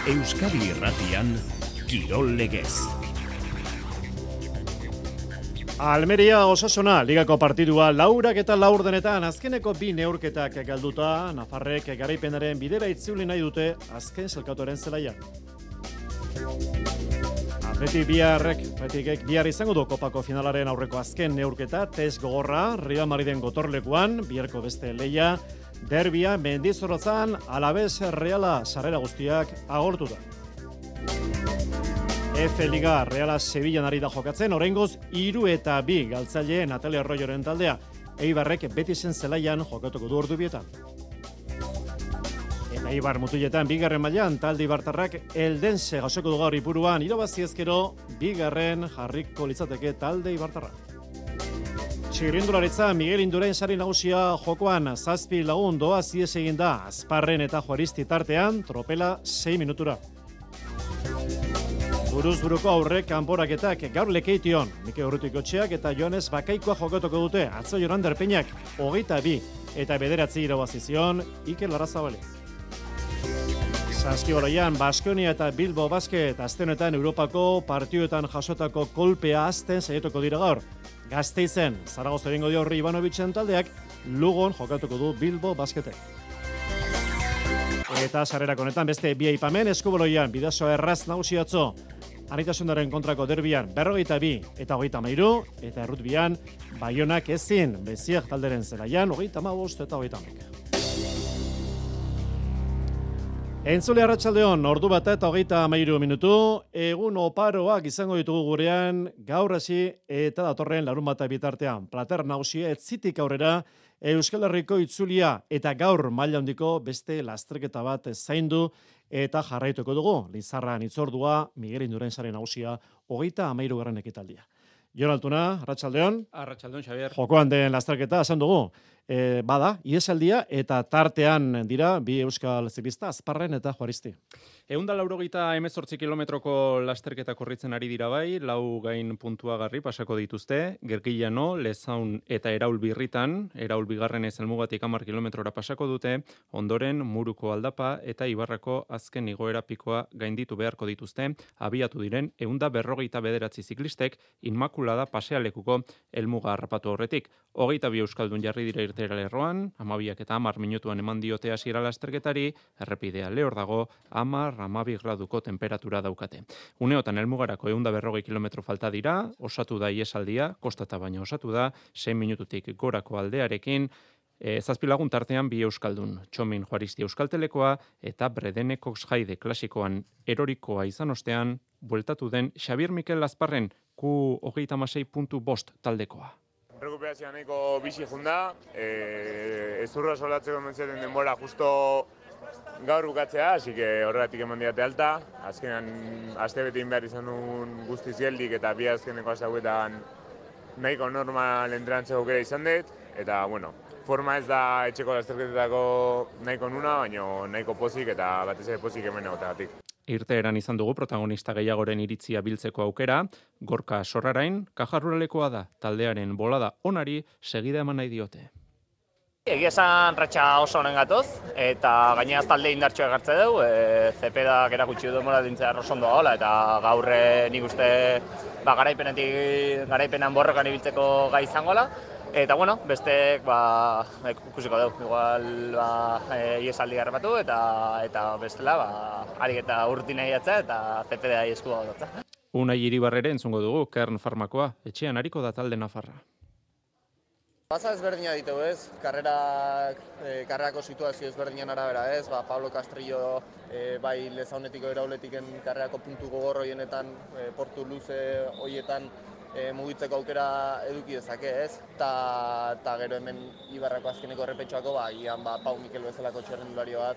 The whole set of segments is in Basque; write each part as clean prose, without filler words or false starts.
Euskadi Irratian Kirol Legez. Almeria Osasuna ligako partidua laurak eta laurdenetan azkeneko bi neurketak galduta, Nafarrek garaipenaren bidera itzuli nahi dute azken zelkatuaren zelaian. Atletik bihar izango du kopako finalaren aurreko azken neurketa, test gogorra, Real Madriden gotorlekuan, biharko beste leia, derbia, Mendizorrotzan, Alavés Reala sarrera guztiak agortu da. F-Liga Reala Sevillan ari da jokatzen, oraingoz 3-2 galtzaileen Natalia Arroyoren taldea. Eibarrek Betisen zelaian jokatuko du ordubietan. Eta Eibar mutiletan bigarren mailan talde ibartarrak Eldense jasoko du gaur Ipuruan, irabazi ezkero bigarren jarriko litzateke talde ibartarra. Txirrindularitza Miguel Indurain sari nagusia jokoan 7 lagun doaz ihes egin da Azparren eta Juaristi tartean, tropela 6 minutura. Buruz-buruko aurrek kanporaketak gaur Lekeition, Mike Urrutikotxeak eta Joanes Bakaikoa jokatuko dute, atzo Jorander Peñak 22 eta 9 irabazi zion Iker Larrazabale. Saskibaloian Baskonia eta Bilbo Basket aste honetan Europako partioetan jasotako kolpea azten saiatuko dira gaur. Gasteizen, Zaragoza egingo dio Horri Ivanovicen taldeak, Lugon jokatuko du Bilbo Basketek. Eta sarrerak honetan beste bi aipamen, Eskubaloian Bidasoa erraz nagusi atzo. Anitasunaren kontrako derbian 42 eta 33, eta errutbian Baionak ezin Beziak talderen zelaian 35 eta 30. Entzule arratsaldeon, ordu bat eta 33 minutu, egun oparoak izango ditugu gurean, gaur hasi eta datorren larunbata bitartean. Plater nagusia etzitik aurrera, Euskal Herriko itzulia eta gaur maila handiko beste lasterketa bat zaindu eta jarraituko dugu. Lizarran itzordua, Miguel Indurain sari nagusia, 33. ekitaldia. Jon Altuna, arratsaldeon. Arratsaldeon, Xabier. Jokoan den lasterketa esan dugu. Bada, iesaldia eta tartean dira bi euskal ziklista, Azparren eta Juaristi. 188 kilometroko lasterketa korritzen ari dira bai, 4 gain puntuagarri pasako dituzte, Gerkillano, Lezaun eta Eraul birritan, Eraul bigarrenez helmugatik 10 kilometrora pasako dute, ondoren Muruko aldapa eta Ibarrako azken igoera pikoa gainditu beharko dituzte, abiatu diren 159 ziklistek Inmakulada pasealekuko helmuga harrapatu horretik. 22 euskaldun jarri dira irtera lerroan, 12 eta 10 minutuan eman diote hasiera lasterketari, errepidea lehor dago, 10-12 graduko temperatura daukate. Uneotan helmugarako 140 kilometro falta dira, osatu da iesaldia, kostata baina osatu da, 6 minututik gorako aldearekin, 7 lagun tartean bi euskaldun, Txomin Juaristi euskaltelekoa eta Bredene Coxhaide klasikoan erorikoa izan ostean, bueltatu den Xabier Mikel Azparren Q36.5 taldekoa. Rekuperazioa nahiko bizi junda, ezurra solatzeko mentziaten denbora justo gaur bukatzea, así que horregatik eman diate alta. Azkenan aste betein behar izan duen guztiz geldik eta bi azkeneko azauetan nahiko normal entrenantzeko aukera izan dut. Eta, bueno, forma ez da etxeko lasterketetako nahiko nuna, baina nahiko pozik eta batez ere pozik hemen egoteagatik. Irteeran izan dugu protagonista gehiagoren iritzia biltzeko aukera, Gorka Sorrarain, kajarruralekoa da, taldearen bolada onari segida eman nahi diote. Egia esan ratxa oso honen gatoz, eta gainaz talde indartxoa egartze dugu, Zepedak erakutsi du denbora dintzea rosondo gaula, eta gaur nik uste garaipenan borrokan ibiltzeko gai izangola. Eta bueno, besteek ikusiko dugu, igual iesaldi harrapatu eta bestela harik eta urtinei atza eta ZPDai eskua dutza. Unai Iribarrere entzungo dugu, Kern Farmakoa, etxean hariko da talde Nafarra. Baza ezberdina ditugu ez, karrerako situazio ezberdinan arabera ez, Pablo Castrillo bai Lezaunetiko Erauletiken karrerako puntu gogor hoienetan, portu luze hoietan mugitzeko aukera eduki dezake ez, eta gero hemen Ibarrako azkeneko errepetxoako, gian Pau Mikel bezalako txerrendulari bat,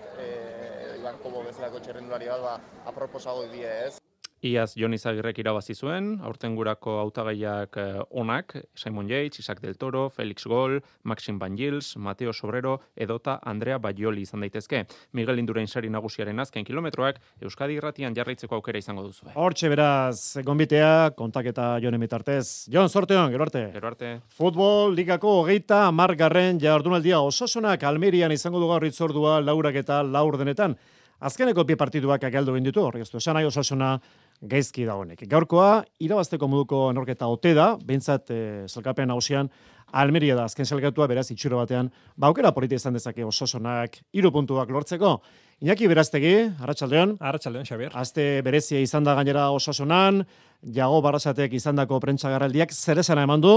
Iban Kobo bezalako txerrendulari bat, aproposago die ez. Iaz Jon Izagirrek irabazi zuen, aurtengurako hautagaiak onak, Simon Yates, Isaac del Toro, Felix Gol, Maxim Van Gils, Mateo Sobrero edota Andrea Baioli izan daitezke. Miguel Indurain sari nagusiaren azken kilometroak Euskadi Irratian jarraitzeko aukera izango duzu. Hortxe beraz, gonbitea, kontaketa Jonen bitartez. Jon, sorteon, gero arte. Gero arte. Futbol ligako 30. jardunaldia Osasunak Almerian izango du gaur itzordua 4 eta 4 denetan. azkeneko bi partiduak galdu egin ditu, horri ez du, esan nahi Osasuna gaizki dagoenik. Gaurkoa, irabazteko moduko norketa ote da, behintzat zelkapen nagusian, Almeria da azken zelkatua, beraz, itxuro batean, aukera polita izan dezake Osasunak 3 puntuak lortzeko. Iñaki Beraztegi, Arratsaldeon. Arratsaldeon, Xabier. Aste berezia izan da gainera Osasunan, Jago Barrasatek izandako prentsagarraldiak zer esana eman du,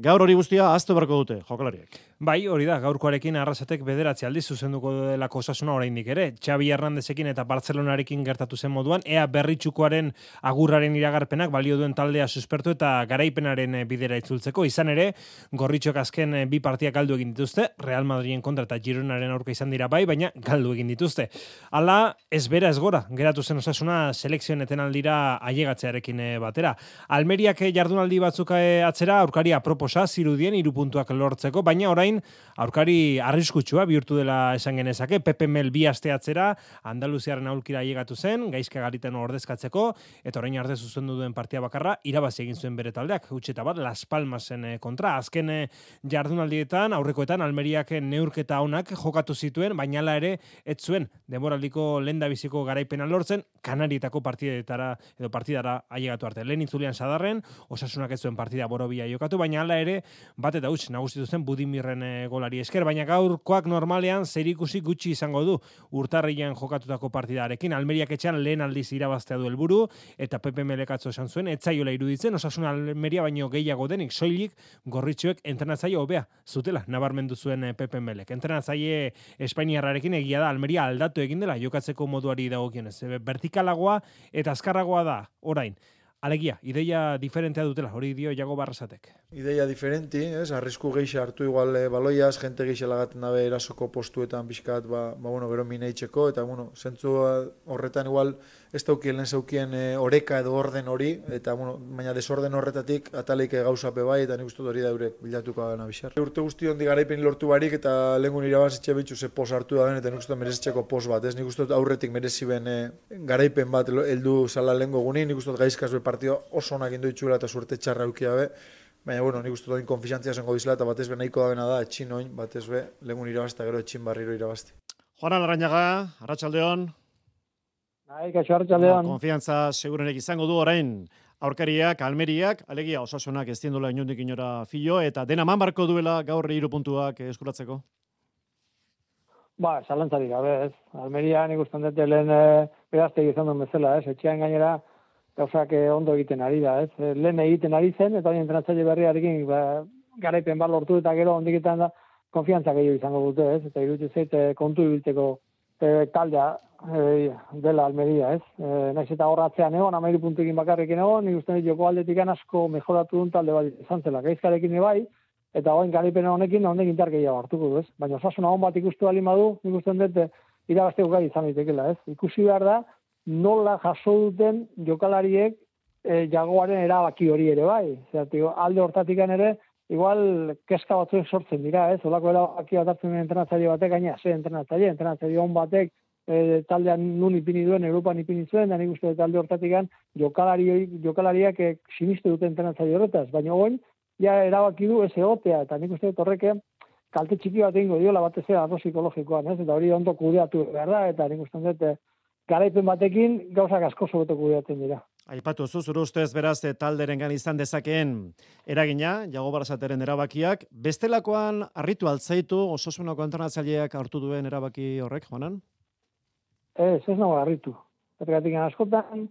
gaur hori guztia ahaztu beharko dute jokalariek. Bai, hori da, gaurkoarekin Arrasatek 9 aldiz zuzenduko delako Osasuna oraindik ere. Xabi Hernandezekin eta Bartzelonarekin gertatu zen moduan, ea Berritxukoaren agurraren iragarpenak balio duen taldea suspertu eta garaipenaren bidera itzultzeko. Izan ere, Gorritxok azken 2 partiak galdu egin dituzte, Real Madriden kontra eta Gironaren aurka izan dira bai, baina galdu egin dituzte. Hala, ez bera ez gora, geratu zen Osasuna selekzioen etenaldira ailegatzearekin batera. Almeriak jardunaldi batzuk atzera, aurkari aproposa zirudien 3 puntuak lortzeko, baina orain aurkari arriskutsua bihurtu dela esan genezake. Pepe Mel 2 aste atzera Andaluziaren aulkira ailegatu zen, gaizka gariten ordezkatzeko, eta orain arte zuzendu duen partia bakarra irabazi egin zuen bere taldeak, utxeta bat Las Palmasen kontra. Azken jardunaldietan, aurrekoetan Almeriak neurketa onak jokatu zituen, baina hala ere ez zuen denboraldiko lehendabiziko garaipena lortzen, Kanarietako partidara ailegatu arte. Lehen itzulian Sadarren, Osasunak ez zuen partida borobia jokatu, baina hala ere bat eta huts nagusitu zen Budimirren golari esker, baina gaurkoak normalean zerikusi gutxi izango du urtarrilean jokatutako partidarekin. Almeriak etxean lehen aldiz irabaztea du helburu eta Pepe Melekatzo esan zuen, etzaiola iruditzen, Osasuna Almeria baino gehiago denik, soilik Gorritxoek entrenatzaile hobea zutela, nabarmendu zuen Pepe Melek. Entrenatzaile espainiarrarekin egia da, Almeria aldatu egin dela jokatzeko moduari dagokionez. Vertikalagoa eta azkarragoa da orain. Alegia, ideia diferentea dutela, hori dio Jago Barrasatek. Ideia diferenti, arrisku gehiago hartu igual baloiaz, jente gehiago lagaten dabe erasoko postuetan pixkat, gero mineitzeko, eta zentzu horretan igual ez daukien lehen zeukien oreka edo orden hori, eta baina desorden horretatik ataleik gauzape bai, eta nik uste hori da eure bilatuko gana bisar. Urte guzti hondi garaipen lortu barik, eta lehengun irabazitxe bitxu ze pos hartu da ben, eta nik uste merezitzeko pos bat, nik uste aurretik merezi ben garaipen bat heldu zala lehengo gunin, nik uste gaizkaz partido oso onak indu itxuela eta suerte txarra eukia be, baina nik uste doin konfiantzia zengo dizela eta batez be nahiko da bena da, etxin oin, batez be, lehengun irabazta gero etxin barriro irabazti. Juan Larrañaga, Arratsaldeon. Kaixo, Arratsaldeon. Konfiantza segurenek izango du orain aurkariak, Almeriak, alegia Osasunak ez diendula inondik inora filo, eta dena man barko duela gaur 3 puntuak eskuratzeko? Zalantzarik gabe, ez. Almeria nik usten dute lehen Beraztegi izan duen bezala, ez. Etxean gainera gauzak ondo egiten ari da, ez. Lehen egiten ari zen, eta hori entrenatzaile berriarekin garaipen bat lortu eta gero ondiketan da konfiantza gehiago izango dute, ez. Eta iruditzen zait kontu ibiltzeko taldea dela Almeria, ez. Naiz eta horratzean egon, 13 puntuekin bakarrekin egon, nik uste dut joko aldetik asko mejoratu duen talde bat izan zela. Gaizkarekin bai, eta goin garaipen honekin intar gehiago hartuko du, ez. Baina Osasuna on bat ikustu baldin badu, nik uste dut irabazteko gai izan daitekeela, ez. Ikusi behar da nola jaso duten jokalariek Jagoaren erabaki hori ere bai. Alde hortatikan ere, igual keska batzuen sortzen dira, ez? Olako erabaki bat hartzen entrenatzaile batek, gaina ze entrenatzaile on batek taldean nun ipini duen, Europan ipini zuen, da nik uste talde hortatikan jokalariak siniste duten entrenatzaile horretaz, baina oin, ja erabaki du ez egotea, eta nik uste horreke kalte txiki bat egingo diola batez arlo psikologikoan, ez? Eta hori ondo kudeatu behar da, eta nik uste dut garaipen batekin gauzak asko sobeto kudeatzen dira. Aipatu zure ustez beraz talderengan izan dezakeen eragina, Jago Barrasateren erabakiak, bestelakoan harritu altzaitu Osasunako entrenatzaileak hartu duen erabaki horrek, Juanan? Ez nago harritu. Zergatik askotan,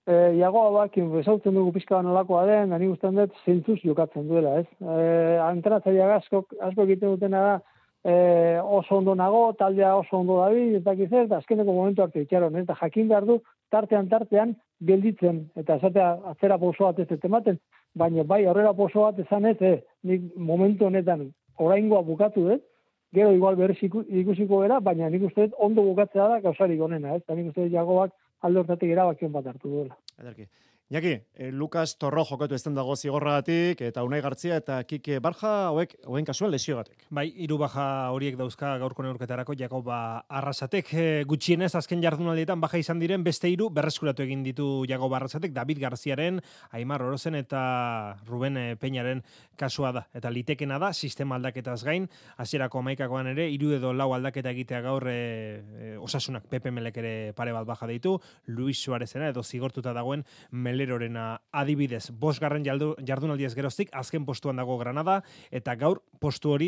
Jagoa bakin bezautzen dugu pixka banolakoa den, da nik ustean dut zentzuz jokatzen duela, ez? Entrenatzaileak asko egiten dutena da, oso ondo nago, taldea oso ondo dabil, eta zer, eta azkeneko momentu arte itxaron, eta jakin behar du, tartean gelditzen, eta esatea atzera poso bat ez ematen, baina bai aurrera poso bat esan ez, nik momentu honetan oraingoa bukatu dut, gero igual berriz ikusiko gara, baina nik uste dut ondo bukatzea da gauzarik onena, eta nik uste dut Jagoak alde hortatik erabakion bat hartu duela. Ederki. Iñaki, Lukas Torro jokatu ezten dago zigorragatik, eta Unai Gartzia eta Kike Barja, hoen kasuan lesiogatik. Bai, 3 baja horiek dauzka gaurko neurketarako Jakoba Arrasatek. Gutxienez, azken jardunaldietan baja izan diren beste 3 berreskuratu egin ditu Jakoba Arrasatek, David Garziaren, Aimar Orozen eta Ruben Peñaren kasua da. Eta litekena da, sistema aldaketaz gain, hasierako 11koan ere, 3 edo 4 aldaketa egitea gaur Osasunak Pepe Melek ere pare bat baja deitu, Luis Suarezena edo zigortuta dagoen Melerorena adibidez. 5. jardunaldiez geroztik, azken postuan dago Granada, eta gaur postu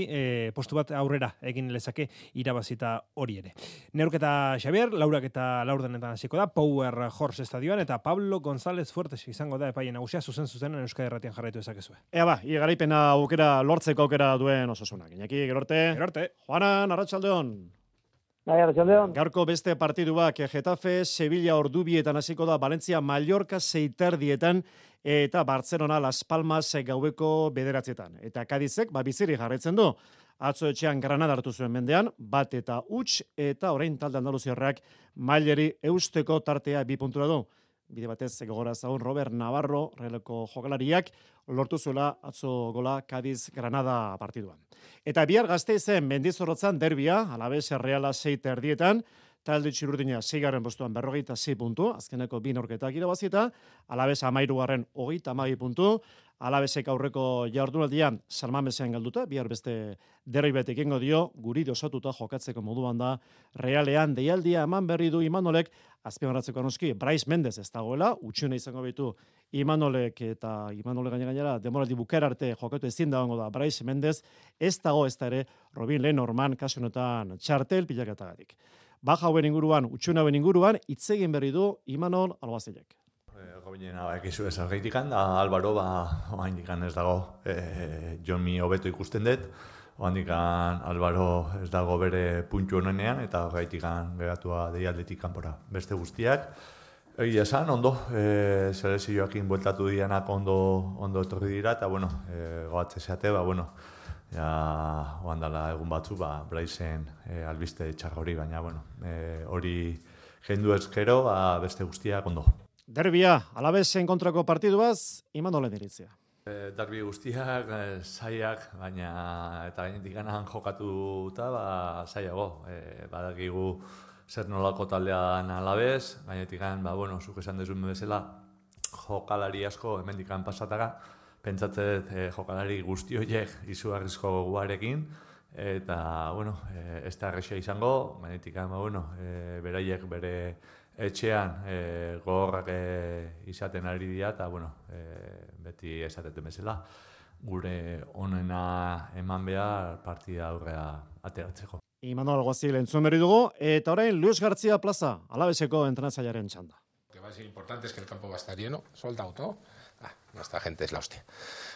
bat aurrera egin lezake irabazita hori ere. Neurketa Xavier, laurak eta laurdenetan hasiko da, Power Horse estadioan, eta Pablo González Fuertes izango da epaile nagusia, zuzenen Euskadi Irratian jarraitu ezakezue. Ea garaipena aukera lortzeko aukera duen Osasunak. Iñaki, gerorte. Juanan, arratsaldeon. Gaurko beste partiduak Getafe, Sevilla ordubietan hasiko da, Valencia, Mallorca 6:30 eta Barcelona Las Palmas gaueko 9:00. Eta Cadizek biziri jarraitzen du. Atzo etxean Granada hartu zuen mendean, 1-0 eta orain talde andaluziarrak mailari eusteko tartea 2 puntura du. Bide batez gogora zaun Robert Navarro, releko jokalariak, lortu zuela atzo gola Cadiz Granada partiduan. Eta bihar Gasteizen Mendizorrotzan derbia, Alaves Reala 6:30, talde txurdina 6. postuan 46 puntu, azkeneko 2 neurketak irabazita, Alaves 13. 32 puntu, Alavesek aurreko jardunaldian San Mamesean galduta, bihar beste derbi bat egingo dio, guri osatuta jokatzeko moduan da, Realean deialdia eman berri du Imanolek, azpimarratzeko noski, Brais Mendez ez dagoela, utxune izango bitu Imanolek eta Imanolek gainera demoraldi bukera arte jokatu ezin dagoengo da Brais Mendez, ez dago ez da ere Robin Lenormand kasu honetan txartel pilaketagatik. Baja hauen inguruan, utxune hauen inguruan, hitz egin berri du Imanol Albazilek. Gobinena ekizu ez argitikan, da Albaro oaindikan ez dago, Jomi hobeto ikusten dut, oaindikan Albaro ez dago bere puntu honenean, eta gaitikan geratua deialdetik kanpora beste guztiak. Egia esan, ondo, selezioakin bueltatu dianak ondo etorri dira, eta goatze zeate, ja oandala egun batzu, Braisen albiste txarra hori, baina hori jendu ezkero, beste guztiak ondo. Derbia, Alavesen kontrako partiduaz, Imanolen iritzia. Derbi guztiak, zaiak, baina eta gainetik ganan jokatuta, zaiago. Badakigu zer nolako taldean Alavez, gainetik ganan, zuk esan dezun bezala, jokalari asko hemendikan pasataga, pentsatzet jokalari guzti horiek izugarrizko goguarekin, eta, ez da errexea izango, gainetik ganan, beraiek bere etxean gogorrak izaten ari dira, eta beti esateten bezala, gure onena eman behar partida aurrea ateratzeko. Imanol Guazil entzun berri dugu, eta orain Luis García Plaza, Alaveseko entrenatzailearen txanda. Lo que va a ser importante es que el campo va a estar lleno, sold out, ¿no? Nuestra gente es la hostia.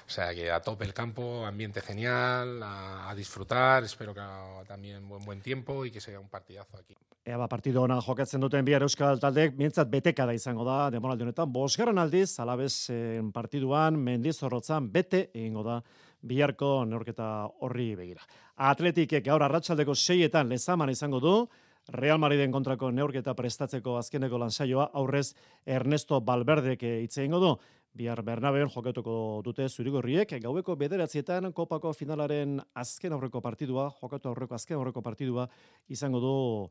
O sea, que a tope el campo, ambiente genial, a disfrutar, espero que también buen tiempo y que sea un partidazo aquí. Partido ona jokatzen duten bihar euskal taldeek, mientzat betekada izango da, demoraldi honetan, 5. aldiz, Alavesen partiduan, Mendizorrotzan, bete egingo da, biharko neurketa horri begira. Atletikek gaur arratsaldeko 6etan Lezaman izango du, Real Madriden kontrako neurketa prestatzeko azkeneko lansaioa, aurrez Ernesto Valverdek hitz egingo du. Bihar Bernabeon jokatuko dute zurigorriek, gaueko 9:00 kopako finalaren azken aurreko partidua, azken aurreko partidua izango du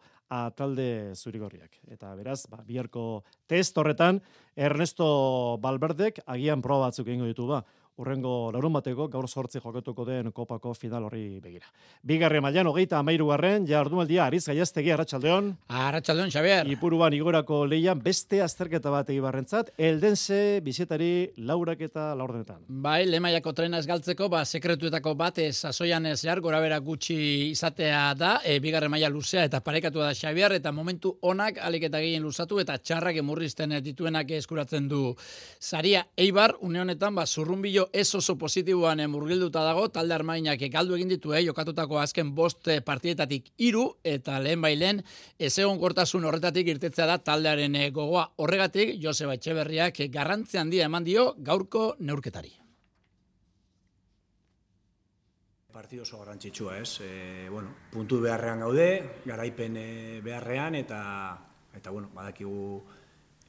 talde zurigorriak. Eta beraz, biharko test horretan, Ernesto Valverdek agian proba batzuk egingo ditu urrengo larunbateko gaur 8 jokatuko den kopako final horri begira. Bigarren mailan 33. jardunaldia Ariz Gaiaztegi arratsaldeon. Arratsaldeon Xavier. Ipuruan igorako leian beste azterketa bat Eibarrentzat, Eldense bizietari 4 eta 4. Bai, lemaiako trena ez galtzeko, sekretuetako bat sasoian zehar gorabera gutxi izatea da, bigarren maila luzea eta parekatua da Xavier, eta momentu onak alik eta gehien luzatu eta txarrak emurrizten dituenak eskuratzen du saria. Eibar une honetan zurrunbilo ez oso positiboan murgilduta dago, talde armainak galdu egin ditu, jokatutako azken 5 partidetatik 3, eta lehen bailen ezegonkortasun horretatik irtetzea da taldearen gogoa. Horregatik, Joseba Etxeberriak garrantzi handia eman dio gaurko neurketari. Partido oso garrantzitsua, ez? Puntu beharrean gaude, garaipen beharrean, eta badakigu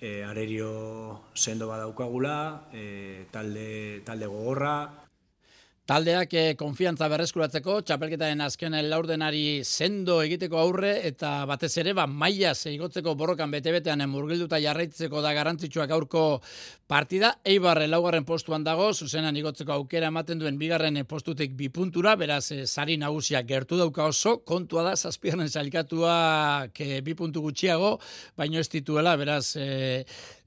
arerio sendo badaukagula, talde gogorra. Taldeak konfiantza berreskuratzeko, txapelketaren azken laurdenari sendo egiteko aurre, eta batez ere, maila igotzeko borrokan bete-betean murgilduta jarraitzeko da garrantzitsua gaurko partida. Eibar laugarren postuan dago, zuzenan igotzeko aukera ematen duen bigarren postutik 2 puntura, beraz, sari nagusia gertu dauka oso, kontua da, 7. sailkatuak 2 puntu gutxiago, baino ez dituela, beraz,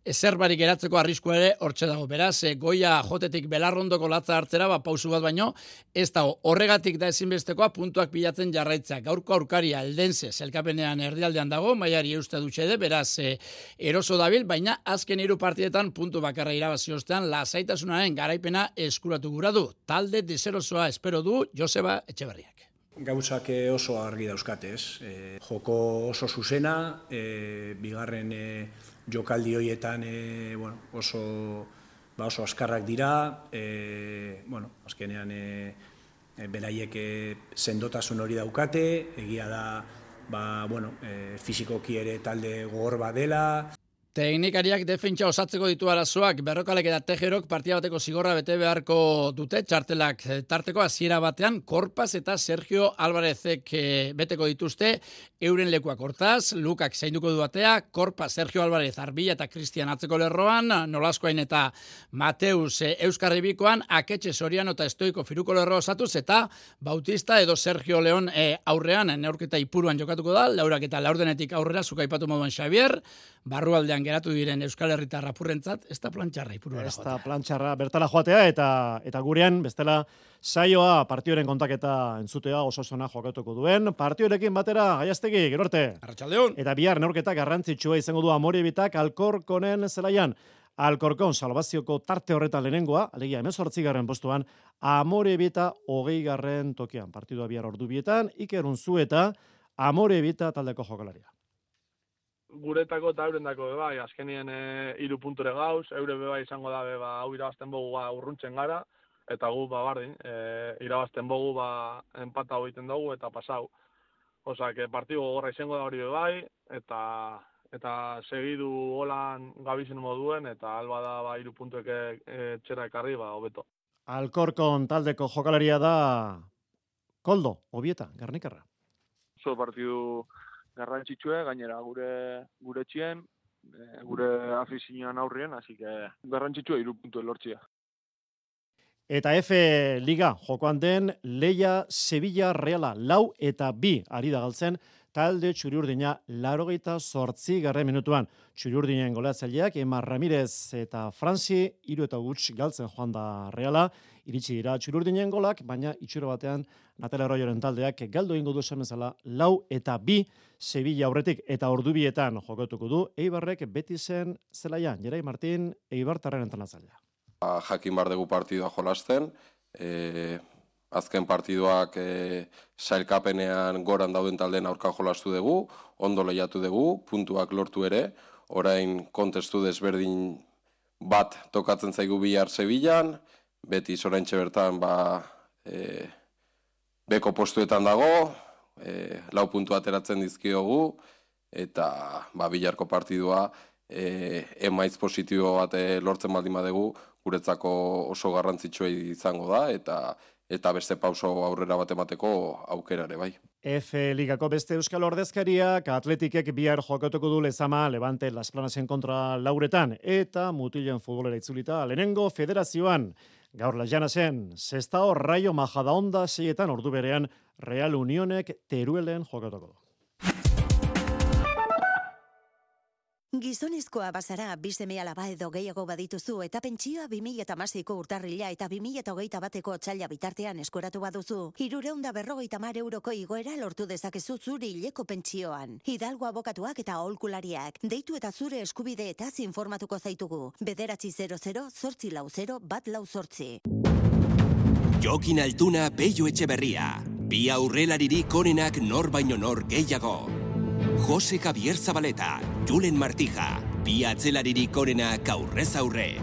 ezer barik geratzeko arriskua ere hortxe dago. Beraz, goia jotetik belarrondoko latza hartzera, pausu bat baino, ez dago. Horregatik da ezinbestekoa puntuak bilatzen jarraitza. Gaurko aurkaria Eldense zelkapenean erdialdean dago, mailari euste dutxede, beraz, eroso dabil, baina azken 3 partidetan puntu bakarra irabazi ostean lasaitasunaren garaipena eskuratu gura du. Talde deserosoa espero du Joseba Etxeberriak. Gauzak oso argi dauzkate, ez? Joko oso zuzena, bigarren jokaldi horietan oso askarrak dira, azkenean beraiek sendotasun hori daukate, egia da fisikoki ere talde gogor badela. Teknikariak defentsa osatzeko ditu arazoak, Berrokalek eta Tejerok partida bateko zigorra bete beharko dute, txartelak tarteko hasiera batean, Korpaz eta Sergio Alvarezek beteko dituzte, euren lekuak hortaz, Lukak zainduko du batea, Korpaz, Sergio Alvarez, Arbilla eta Cristian atzeko lerroan, Nolaskoain eta Mateus Euskarribikoan, Aketxe Soriano eta Estoiko Firuko lerroa osatuz, eta Bautista edo Sergio León aurrean, neurketa ipuruan jokatuko da, laurak eta laurdenetik aurrera, zukaipatu moduan Xavier, barrualdean geratu diren Euskal Herritar apurrentzat, ez da plantxarra ipurura joatea. Ez da plantxarra bertala joatea, eta gurean, bestela, saioa partioren kontaketa entzutea oso zona jokatuko duen. Partiorekin batera, Gaiaztegi, gero arte. Arratsaldeon. Eta bihar neurketa garrantzitsua izango du Amorebitak Alkorkonen zelaian. Alkorkon salbazioko tarte horretan lehenengoa, alegia 18. postuan, Amorebita 20. tokian. Partidua bihar ordubietan, Iker Unzueta, Amorebita taldeko jokalaria. Guretako eta eurendako bebai, azkenien 3 punture gauz, eure bebai izango da hau irabazten bogu urruntzen gara, eta gu bardin, irabazten bogu empata egiten dugu eta pasau. Osak, partido gogorra izango da hori bebai, eta segidu holan gabizen moduen, eta alba da 3 puntuek txera ekarri, hobeto. Alkorkon taldeko jokalaria da Koldo, Obieta, Garnikarra. Oso partidu garrantzitsue, gainera gure txien, gure afizioan aurrien, así que garrantzitsue 3 puntu lortzia. Eta F Liga jokoan den Leia Sevilla Reala 4 eta 2 ari da galtzen talde Txuriurdina 88. minutuan. Txuriurdinen golatzaileak Emar Ramirez eta Franzi 3 eta huts galtzen joan da Reala. Iritsi dira Txuriurdinen golak, baina itxuro batean Natale Arroyoren taldeak galdu egingo du esan bezala 4 eta 2 Sevilla aurretik eta ordubietan jokatuko du Eibarrek Betisen zelaian. Jerai Martin, Eibartarren entrenatzailea. Jakin bar dugu partidua jolasten, azken partiduak sailkapenean goran dauden taldeen aurka jolastu dugu, ondo lehiatu dugu, puntuak lortu ere, orain kontestu desberdin bat tokatzen zaigu bihar Sevillan, beti oraintxe bertan beko postuetan dago, 4 puntu ateratzen dizkiogu, eta biharko partidua emaitz positibo bat lortzen baldin badugu, guretzako oso garrantzitsua izango da, eta beste pauso aurrera bat emateko aukera ere bai. F Ligako beste euskal ordezkariak Atletikek bihar jokatuko du Lezama Levante Las Planasen kontra lauretan, eta mutilen futbolera itzulita lehenengo federazioan. Gaur Las Llanasen, Sestao Rayo Majadahonda 6 ordu berean Real Unionek Teruelen jokatuko du. Gizonezkoa bazara, 2 seme-alaba edo gehiago badituzu eta pentsioa 2016ko urtarrila eta 2021ko otsaila bitartean eskuratu baduzu, 350 euroko igoera lortu dezakezu zure hileko pentsioan. Hidalgo abokatuak eta aholkulariak, deitu eta zure eskubideetaz informatuko zaitugu. 900-840-148. Jokin Altuna, Peio Etxeberria. Bi aurrelaririk onenak nor baino nor gehiago. Jose Javier Zabaleta, Julen Martija, bi atzelaririk onenak aurrez aurre.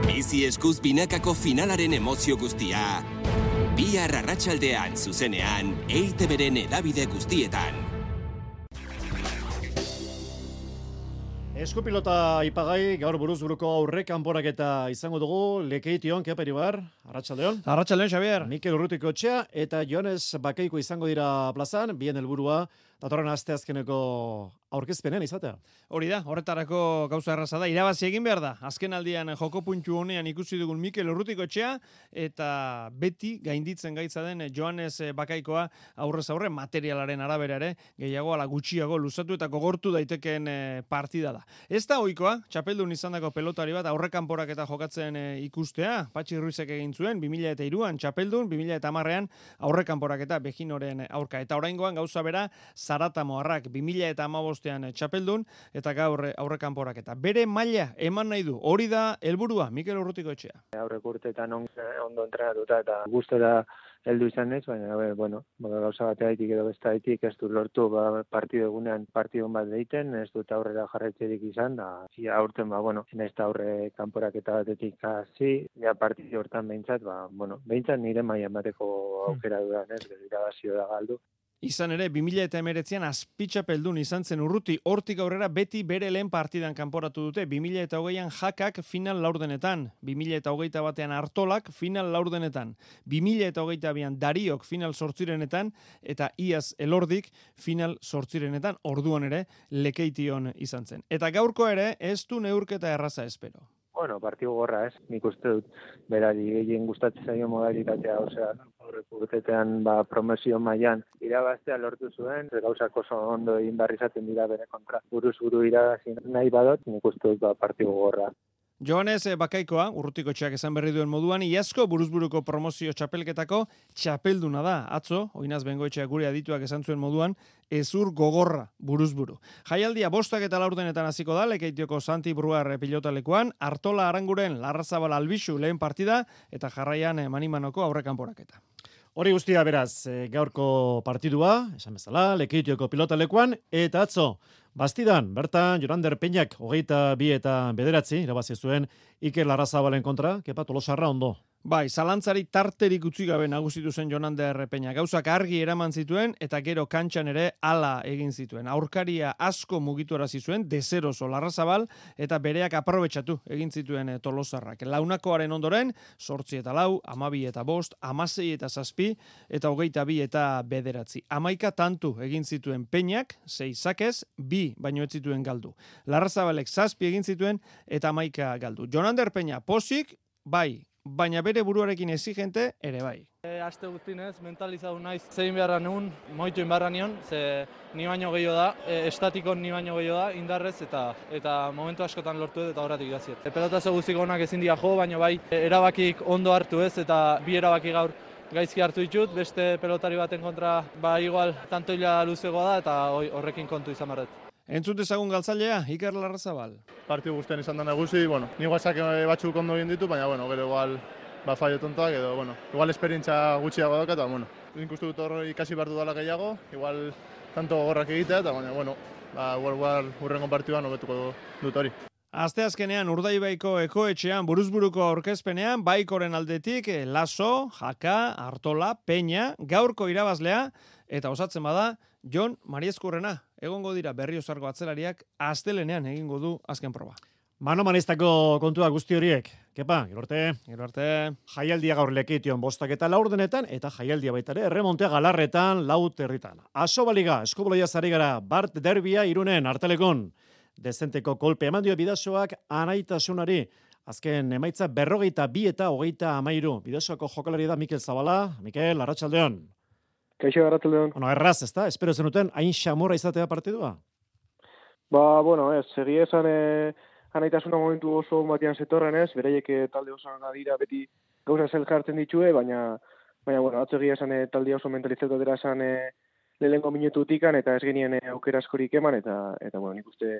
Bizi eskuz binakako finalaren emozio guztia, bihar arratsaldean zuzenean, EITB-ren hedabide guztietan. Eskupilota ipagai, gaur buruzburuko aurre kanporaketa izango dugu, Lekeition, Keperi bar, Arratsaldeon. Arratsaldeon, Xabier. Mikel Urrutiko etxea eta Joanes Bakaiko izango dira plazan, bien helburua datorren asteazkeneko aurkezpenen izatea. Hori da, horretarako gauza erraza da, irabazi egin behar da. Azken aldian joko puntu honean ikusi dugun Mikel Urrutiko etxea eta beti gainditzen gaitza den Joanes Bakaikoa aurrez aurre materialaren arabera ere gehiago ala gutxiago luzatu eta gogortu daitekeen partida da. Ez da ohikoa, txapeldun izandako pelotari bat aurrekanporak eta jokatzen ikustea, Patxi Ruizek egin zuen 2003an txapeldun, 2010ean aurrekanporak eta Bejinoren aurka eta oraingoan gauza bera Zaratamoarrak 2015ean txapeldun eta gaur aurrekanporak eta bere maila eman nahi du. Hori da helburua Mikel Urrutiko etxea. Aurreko urteetan ondo entrenatuta eta gustora heldu izan ez, baina gauza bateaitik edo besteaitik ez dut lortu partido egunean partidon bat deiten, ez dut aurrera jarraitzerik izan, da aurten naiz eta aurre kanporaketa batetik hasi, ja partido hortan behintzat, behintzat nire maila emateko aukera dudan ez, irabazio da galdu. Izan ere, 2019an azpitxapeldun izan zen Urruti, hortik aurrera beti bere lehen partidan kanporatu dute, 2020an Jakak final laurdenetan, 2021an Artolak final laurdenetan, 2022an Dariok final sortzirenetan, eta Iaz Elordik final sortzirenetan, orduan ere Lekeition izan zen. Eta gaurko ere, ez du neurketa erraza espero. Partido gorra ez, nik uste dut berari gehien gustatzen zaio modalitatea, aurreko urteetan promesio mailan irabaztea lortu zuen, gauzak oso ondo egin behar izaten dira bere kontra. Buruz buru irabazi nahi badot, nik uste dut partido gorra. Joanes Bakaikoa, Urrutiko etxeak esan berri duen moduan, iazko buruzburuko promozio txapelketako txapelduna da. Atzo, Oinaz Bengoetxeak gure adituak esan zuen moduan, ezur gogorra buruzburu. Jaialdia 5 eta 4 hasiko da, Lekeitioko Santi Bruar pilotalekuan, Artola Aranguren Larrazabal Albixu lehen partida, eta jarraian Manimanoko aurrekanporaketa. Hori guztia beraz, gaurko partidua, esan bezala, Lekeitioko pilotalekuan, eta atzo, Bastidan, bertan, Jorander Peñak, 22 eta 9 irabazi zuen Iker Larrazabalen kontra, Kepa Tolosarra ondo. Bai, zalantzari tarterik utzi gabe nagusitu zen Jonander Peña. Gauzak argi eraman zituen eta gero kantxan ere hala egin zituen. Aurkaria asko mugituarazi zuen, dezeroso Larrazabal eta bereak aprobetxatu egin zituen Tolosarrak. Launakoaren ondoren, 8 eta 4, 12 eta 5, 16 eta 7 eta 22 eta 9. 11 tantu egin zituen Peñak, 6 sakez, 2 baino ez zituen galdu. Larrazabalek 7 egin zituen eta 11 galdu. Jonander Peña posik, bai, baina bere buruarekin exigente ere bai. Aste guztinez, mentalizatu naiz zein beharra neun, moitu inbarra nion, ze ni baino gehiago da, estatikon ni baino gehiago da, indarrez eta momentu askotan lortu eta horretik idaziet. Pelotazo guztiko onak ezin dira jo, baina bai, erabakik ondo hartu ez, eta 2 erabaki gaur gaizki hartu ditut, beste pelotari baten kontra, igual, tantoila luzegoa da, eta horrekin kontu izan barret. Entzun dezagun galtzailea, Iker Larrazabal. Partidu guztien izan da nagusi, ni guazak batzuk ondo egin ditu, baina, gero igual, fallo tontoak, edo, igual esperientzia gutxiago dauka, eta, nik uste dut hor ikasi behar dudala gehiago, igual, tanto gorrak egitea, eta, igual, hurrengo partiduan hobetuko dut hori. Asteazkenean Urdaibaiko ekoetxean buruzburuko aurkezpenean Baikoren aldetik Laso, Jaka, Artola, Peña, gaurko irabazlea eta osatzen bada Jon Mariezkurrena. Egongo dira Berriozarko atzelariak astelenean egingo du azken proba. Mano-manistako kontua guzti horiek. Kepa, gero arte. Jaialdia gaur Lekeition 5 eta 4 eta jaialdia baita ere erremontea Galarretan 4. Asobaliga, Eskubaloia zari gara, Bart Derbia Irunen, Artelekon. Dezenteko kolpe eman dio Bidasoak Anaitasunari. Azken emaitza 42 eta 33. Bidasoako jokalari da Mikel Zabala. Mikel, arratsaldeon. Kaixo, arratsaldeon. Erraz, ezta? Espero zenuten hain xamorra izatea partidua? Segia esan Anaitasuna momentu oso batean zetorren ez, beraiek talde oso dira beti gauza zel jartzen ditue, baina atzegia esan talde oso mentalizatu dira esan lehenko minututikan eta ez genien aukera askorik eman eta nik uste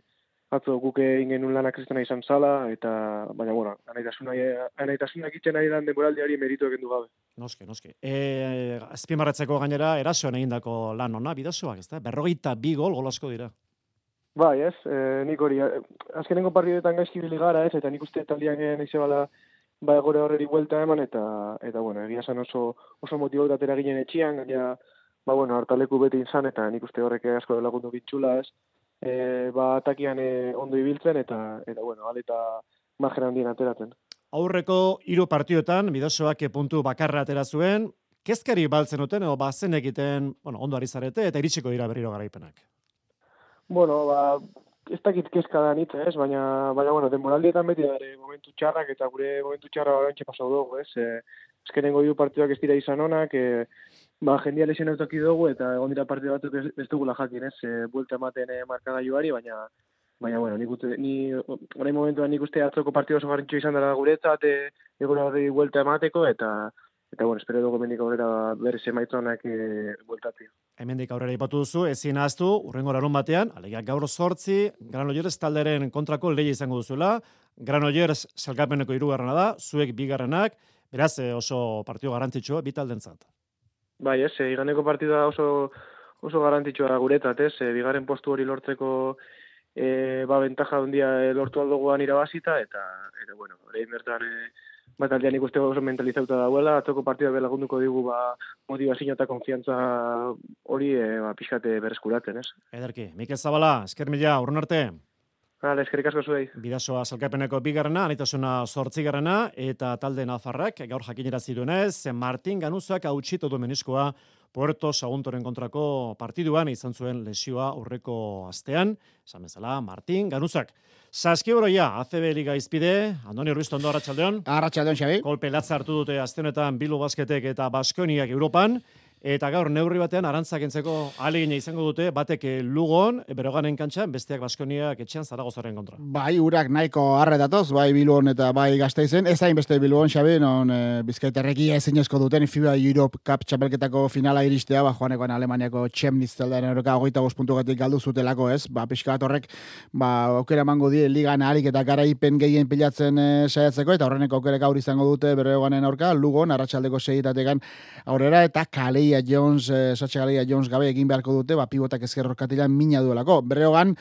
atzo guk egin genuen lanak kristena izan zala eta baina Anaitasuna egiten ari dan demoraldiari meritu egin du gabe. Noski. Azpimarratzeko gainera erasoan egindako lan ona Bidasoak, ezta? 42 gol asko dira. Bai, ez, nik hori, azkenengo partidetan gaizki bili gara, ez, eta nik uste taldean nahize bala gore horreri buelta eman, eta egia esan oso motibaut atera ginen etxian, gaina, hartaleku beti izan, eta nik uste horrek asko lagundu bitxula, ez, atakian ondo ibiltzen, eta bueno, aleta margen handien ateratzen. Aurreko 3 partioetan, Bidasoak puntu bakarra atera zuen, kezkari baltzen duten, edo bazen egiten, ondo ari zarete, eta iritsiko dira berriro garaipenak. Bueno, ez dakit kezka da nitz, baina bueno, denboraldietan beti dara momentu txarrak, eta gure momentu txarra bantxe pasau dugu, Ezkenengo 3 partioak ez dira izan onak, jendia lesionatuak dugu, eta egon dira partio batzuk ez dugula jakin, buelta ematen markagailuari, baina bueno, orain momentuan nik uste atzoko partido oso garrantzitsua izan dara guretzat, egurari buelta emateko, eta bueno, espero dugu hemendik aurrera berriz emaitzonak bueltatzea. Hemendik aurrera ipatu duzu, ezin ahaztu, urrengo larun batean, alegia gaur 8, Granollers talderen kontrako lehia izango duzuela, Granollers sailkapeneko 3. da, zuek 2. Beraz, oso partido garrantzitsua bi taldentzat. Bai, iganeko partida oso garrantzitsua guretzat, 2. postu hori lortzeko bentaja handia lortu aldoguan irabazita, eta bueno, orain bertan taldean ikuste oso mentalizauta dauela, atzoko partida belagunduko digu motivazio eta konfiantza hori pixkate berreskuratzen, Ederki, Mikel Zabala, esker mila, urrun arte. Eskerrik asko zuei. Bidasoa sailkapeneko 2, Anitasuna 8, eta talde nafarrak gaur jakinarazi duenez, Martin Ganuzak hautsito du meniskoa Puerto Saguntoren kontrako partiduan izan zuen lesioa aurreko astean, esan bezala Martin Ganuzak. Saskiboroia, ACB Liga izpide, Andoni Urbisto ondo, arratsaldeon. Arratsaldeon, Xabi. Kolpe latza hartu dute aste honetan Bilbo Basketek eta Baskoniak Europan. Eta gaur neurri batean arantzak entzeko ahalegina izango dute, batek Lugon, Beroganen kantxan, besteak Baskoniak etxean Zaragozaren kontra. Bai, urak nahiko arre datoz, bai Bilbon eta bai Gasteizen, ez hain beste Bilbon, Xabi, non Bizkaitarreki ezinezko duten FIBA Europe Cup txapelketako finala iristea, joanekoan Alemaniako Chemnitz taldearen aurka 25 puntugatik galdu zutelako, pixka bat horrek, aukera emango die ligan ahalik eta garaipen gehien pilatzen saiatzeko, eta horreneko aukerek aur izango dute Beroganen aurka, Lugon, arratsaldeko 6 aurrera, eta Sacha Galeia Jones gabe egin beharko dute, pivotak ezkerrorkatilan mina duelako. Berreogan,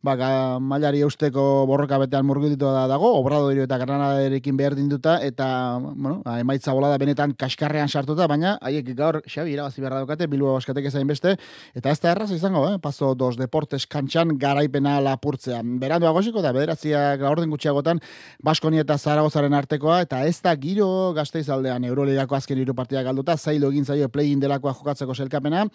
mailari eusteko borroka betean murgilditu dago, Obradoiro eta Granadarekin behar dinduta, eta, emaitza bolada benetan kaskarrean sartuta, baina haiek gaur, Xabi, irabazi behar daukate, Bilbao Baskatek ezain beste, eta ez da erraz izango, Paso 2 Deportes kantxan garaipena lapurtzea. Berandu agosiko da, bederatziak orden gutxiagotan, Baskonia eta Zaragozaren artekoa, eta ez da giro Gasteiz aldean Euroligako azken 3 partidak galduta, zailo egin zaio play-in delakoa jokatzeko selkapena,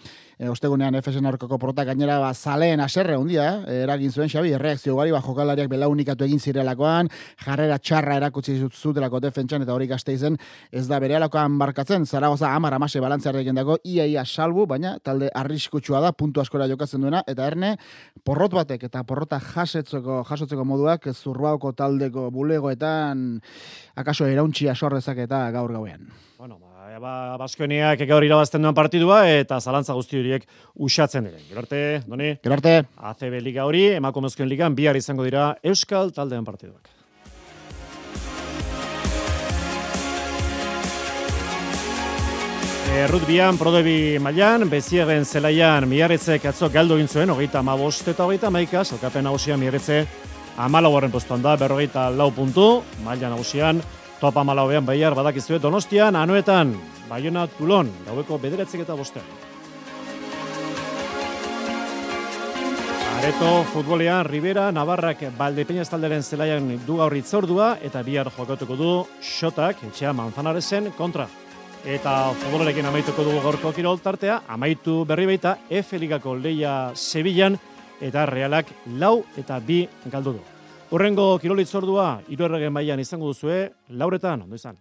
ostegunean Efesen aurkako porota gainera zaleen aserre hundia, eragin zuen Xabi, erreakzio gari, jokalariak belaunikatu egin zirelakoan, jarrera txarra erakutsi zutelako defentsan, eta hori Gasteizen ez da berealakoan barkatzen, Zaragoza 10-16 balantzearekin dago, ia salbu, baina talde arriskutsua da, puntu askora jokatzen duena, eta erne, porrot batek eta porrota jasotzeko moduak Zurbauko taldeko bulegoetan akaso erauntxia sorrezak eta gaur gauean. Baskoniak gaur irabazten duen partidua eta zalantza guzti horiek usatzen diren. Gero arte, Doni? Gero arte. ACB Liga hori, emakumezkoen ligan, bihar izango dira Euskal taldean partiduak. Rugbyan, Prodebi mailan, Beziegen zelaian Miarritzek atzo galdu egin zuen, 35 eta 31, salkapen nagusian Miarritze 14. postuan da, 44 puntu, maila nagusian, top 14 Baiar badakizue Donostian, Anoetan, Baiona Tulon, gaueko 9:05. Areto futbolean Rivera, Navarrak Valdepeñas talderen zelaian du gaur hitzordua eta bihar jokatuko du Xotak etxea Manzanaresen kontra. Eta futbolarekin amaituko dugu gaurko kirol tartea, amaitu berri baita F Ligako lehia Sevillan eta Realak 4 eta 2 galdu du. Hurrengo kirol hitzordua 3. mailan izango duzue, 4:00, ondo izan.